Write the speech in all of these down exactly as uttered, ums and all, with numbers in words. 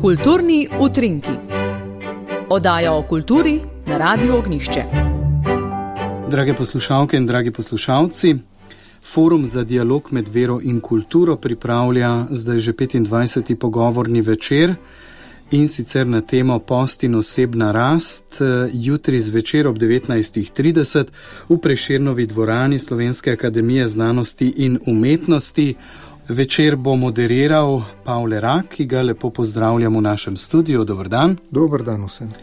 Kulturni utrinki. Oddaja o kulturi na Radiu Ognjišče. Drage poslušalke in dragi poslušalci, Forum za dialog med vero in kulturo pripravlja zdaj že petindvajseti pogovorni večer, in sicer na temo Post in osebna rast, jutri zvečer ob devetnajstih trideset v Prešernovi dvorani Slovenske akademije znanosti in umetnosti. Večer bo moderiral Pavle Rak, ki ga lepo pozdravljam v našem studiu. Dober dan. Dober dan vsem.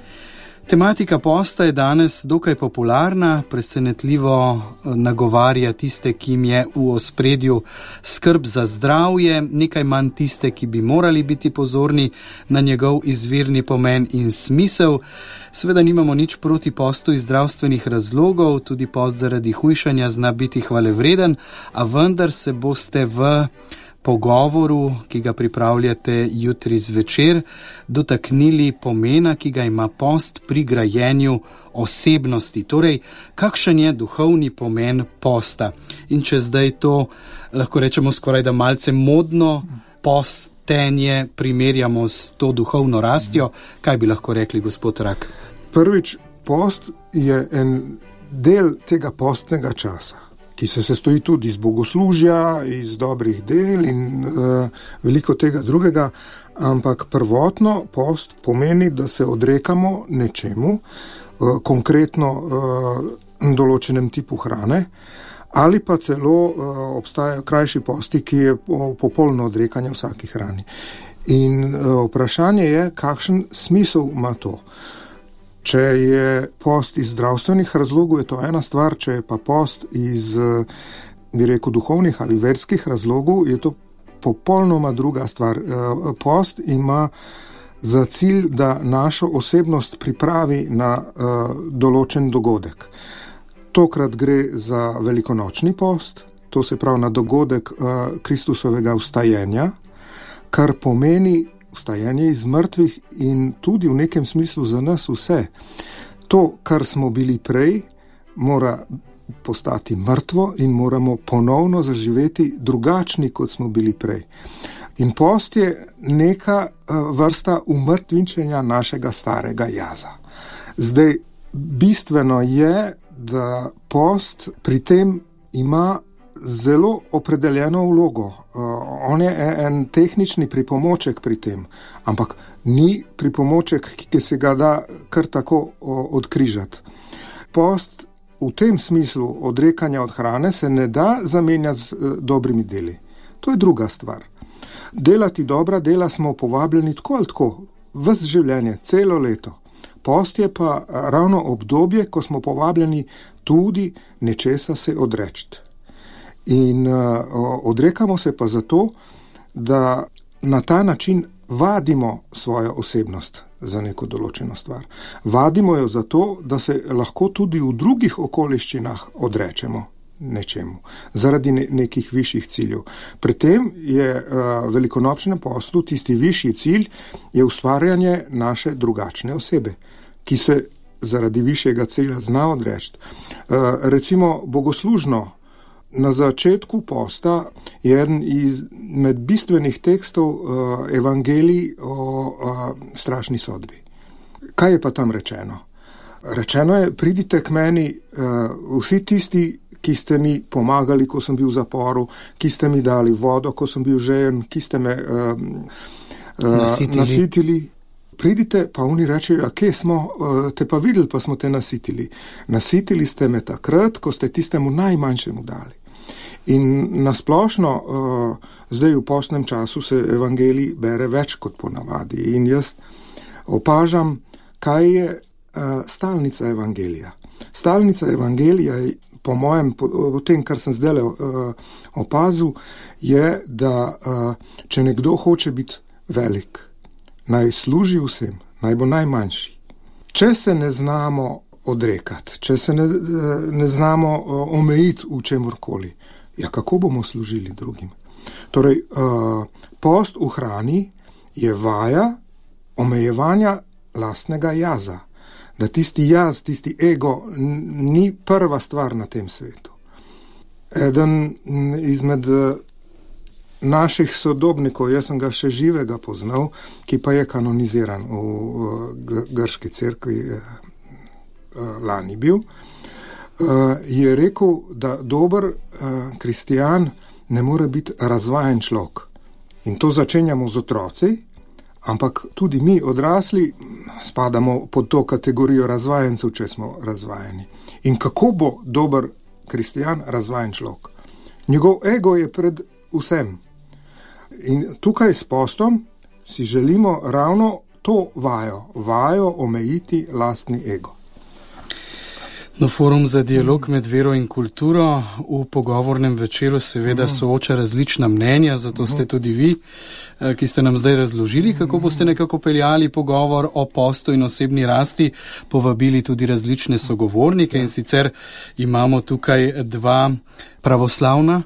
Tematika posta je danes dokaj popularna, presenetljivo nagovarja tiste, ki jim je v ospredju skrb za zdravje, nekaj manj tiste, ki bi morali biti pozorni na njegov izvirni pomen in smisel. Seveda nimamo nič proti postu iz zdravstvenih razlogov, tudi post zaradi hujšanja zna biti hvalevreden, a vendar se boste v pogovoru, ki ga pripravljate jutri zvečer, dotaknili pomena, ki ga ima post pri grajenju osebnosti. Torej, kakšen je duhovni pomen posta? In če zdaj to, lahko rečemo skoraj da malce modno, postenje primerjamo s to duhovno rastjo, kaj bi lahko rekli, gospod Rak? Prvič, post je en del tega postnega časa, ki se sestoji tudi iz bogoslužja, iz dobrih del in uh, veliko tega drugega, ampak prvotno post pomeni, da se odrekamo nečemu, uh, konkretno uh, določenem tipu hrane, ali pa celo uh, obstajajo krajši posti, ki je popolno odrekanje vsaki hrani. In uh, vprašanje je, kakšen smisel ima to. Če je post iz zdravstvenih razlogov, je to ena stvar, če je pa post iz, bi rekel, duhovnih ali verskih razlogov, je to popolnoma druga stvar. Post ima za cilj, da našo osebnost pripravi na uh, določen dogodek. Tokrat gre za velikonočni post, to se pravi na dogodek uh, Kristusovega vstajenja, kar pomeni vstajenje iz mrtvih in tudi v nekem smislu za nas vse. To, kar smo bili prej, mora postati mrtvo in moramo ponovno zaživeti drugačni, kot smo bili prej. In post je neka vrsta umrtvinčenja našega starega jaza. Zdaj, bistveno je, da post pri tem ima zelo opredeljeno vlogo. Uh, on je en tehnični pripomoček pri tem, ampak ni pripomoček, ki se ga da kar tako uh, odkrižati. Post v tem smislu odrekanja od hrane se ne da zamenjati z uh, dobrimi deli. To je druga stvar. Delati dobra dela smo povabljeni tako ali tako, ves življenje, celo leto. Post je pa ravno obdobje, ko smo povabljeni tudi nečesa se odreči. In uh, odrekamo se pa zato, da na ta način vadimo svojo osebnost za neko določeno stvar. Vadimo jo zato, da se lahko tudi v drugih okoliščinah odrečemo nečemu, zaradi ne- nekih višjih ciljev. Pri tem je uh, velikonočnem poslu tisti višji cilj je ustvarjanje naše drugačne osebe, ki se zaradi višjega cilja zna odreči. Uh, recimo bogoslužno, na začetku posta je eden izmed bistvenih tekstov uh, evangelij o uh, strašni sodbi. Kaj je pa tam rečeno? Rečeno je, pridite k meni uh, vsi tisti, ki ste mi pomagali, ko sem bil v zaporu, ki ste mi dali vodo, ko sem bil žejen, ki ste me uh, uh, nasitili. nasitili. Pridite, pa oni rečejo, kje smo, uh, te pa videli, pa smo te nasitili. Nasitili ste me takrat, ko ste tistemu najmanjšemu dali. In nasplošno, uh, zdaj v postnem času se evangelij bere več kot ponavadi. In jaz opažam, kaj je uh, stalnica evangelija. Stalnica evangelija, po mojem, po, po tem, kar sem zdaj uh, opazil, je, da uh, če nekdo hoče biti velik, naj služi vsem, naj bo najmanjši. Če se ne znamo odrekati, če se ne, ne znamo uh, omejiti v čemurkoli, ja, kako bomo služili drugim? Torej, uh, post v hrani je vaja omejevanja lastnega jaza. Da tisti jaz, tisti ego n- ni prva stvar na tem svetu. Eden izmed naših sodobnikov, jaz sem ga še živega poznal, ki pa je kanoniziran v grški cerkvi, lani bil, je rekel, da dober kristjan ne more biti razvajen človek. In to začenjamo z otroci, ampak tudi mi odrasli spadamo pod to kategorijo razvajencev, če smo razvajeni. In kako bo dober kristjan razvajen človek? Njegov ego je pred vsem. In tukaj s postom si želimo ravno to vajo, vajo omejiti lastni ego. No, Forum za dialog med vero in kulturo v pogovornem večeru seveda sooča različna mnenja, zato ste tudi vi, ki ste nam zdaj razložili, kako boste nekako peljali pogovor o postu in osebni rasti, povabili tudi različne sogovornike in sicer imamo tukaj dva pravoslavna,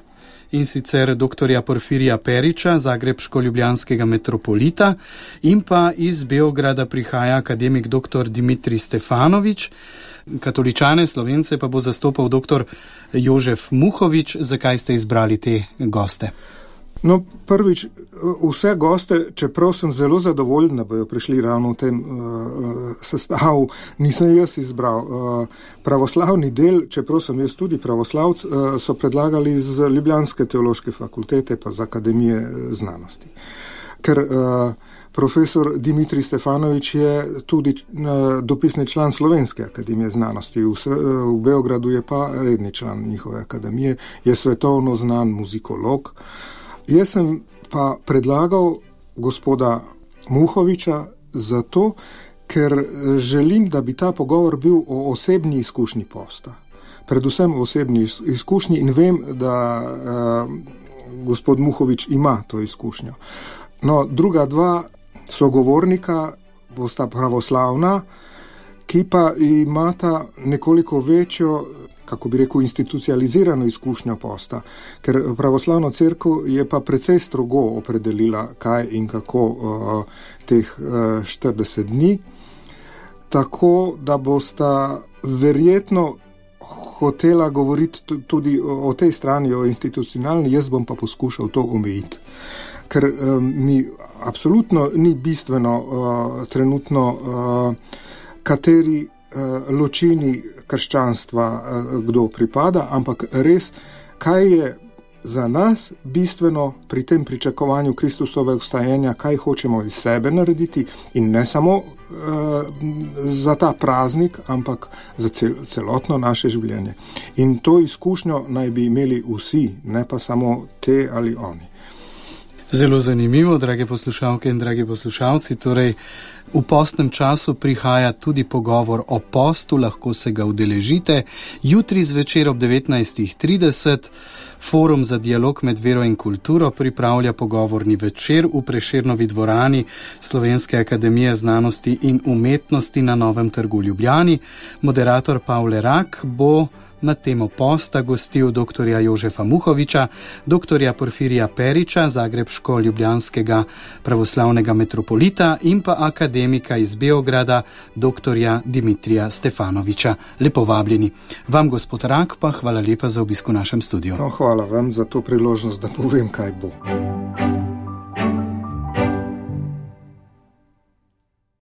in sicer doktorja Porfirija Periča, zagrebško-ljubljanskega metropolita, in pa iz Beograda prihaja akademik doktor Dimitrij Stefanovič. Katoličane, Slovence pa bo zastopal doktor Jožef Muhovič. Zakaj ste izbrali te goste? No, prvič, vse goste, čeprav sem zelo zadovoljen, da bojo prišli ravno v tem uh, sestavu, nisem jaz izbral. Uh, pravoslavni del, čeprav sem jaz tudi pravoslavc, uh, so predlagali z Ljubljanske teološke fakultete pa z Akademije znanosti. Ker uh, profesor Dimitrij Stefanovič je tudi uh, dopisni član Slovenske akademije znanosti, v, v Beogradu je pa redni član njihove akademije, je svetovno znan muzikolog. Jaz sem pa predlagal gospoda Muhoviča zato, ker želim, da bi ta pogovor bil o osebni izkušnji posta. Predvsem o osebni izkušnji in vem, da uh, gospod Muhovič ima to izkušnjo. No, druga dva sogovornika bosta pravoslavna, ki pa imata nekoliko večjo, kako bi rekel, institucionalizirano izkušnjo posta, ker pravoslavna cerkev je pa precej strogo opredelila, kaj in kako uh, teh uh, štirideset dni, tako da bosta verjetno hotela govoriti tudi o, o tej strani, o institucionalni, jaz bom pa poskušal to omejiti. Ker um, mi absolutno ni bistveno uh, trenutno, uh, kateri uh, ločini krščanstva uh, kdo pripada, ampak res, kaj je za nas bistveno pri tem pričakovanju Kristusovega vstajenja, kaj hočemo iz sebe narediti in ne samo uh, za ta praznik, ampak za cel, celotno naše življenje. In to izkušnjo naj bi imeli vsi, ne pa samo te ali oni. Zelo zanimivo, drage poslušalke in dragi poslušalci, torej v postnem času prihaja tudi pogovor o postu, lahko se ga udeležite. Jutri zvečer ob devetnajstih trideset Forum za dialog med vero in kulturo pripravlja pogovorni večer v Prešernovi dvorani Slovenske akademije znanosti in umetnosti na Novem trgu v Ljubljani. Moderator Pavle Rak bo na temo posta gostil doktorja Jožefa Muhoviča, doktorja Porfirija Periča, zagrebško-ljubljanskega pravoslavnega metropolita in pa akademika iz Beograda, doktorja Dimitrija Stefanoviča. Lepo vabljeni. Vam, gospod Rak, pa hvala lepa za obisk v našem studiu. No, hvala vam za to priložnost, da povem, kaj bo.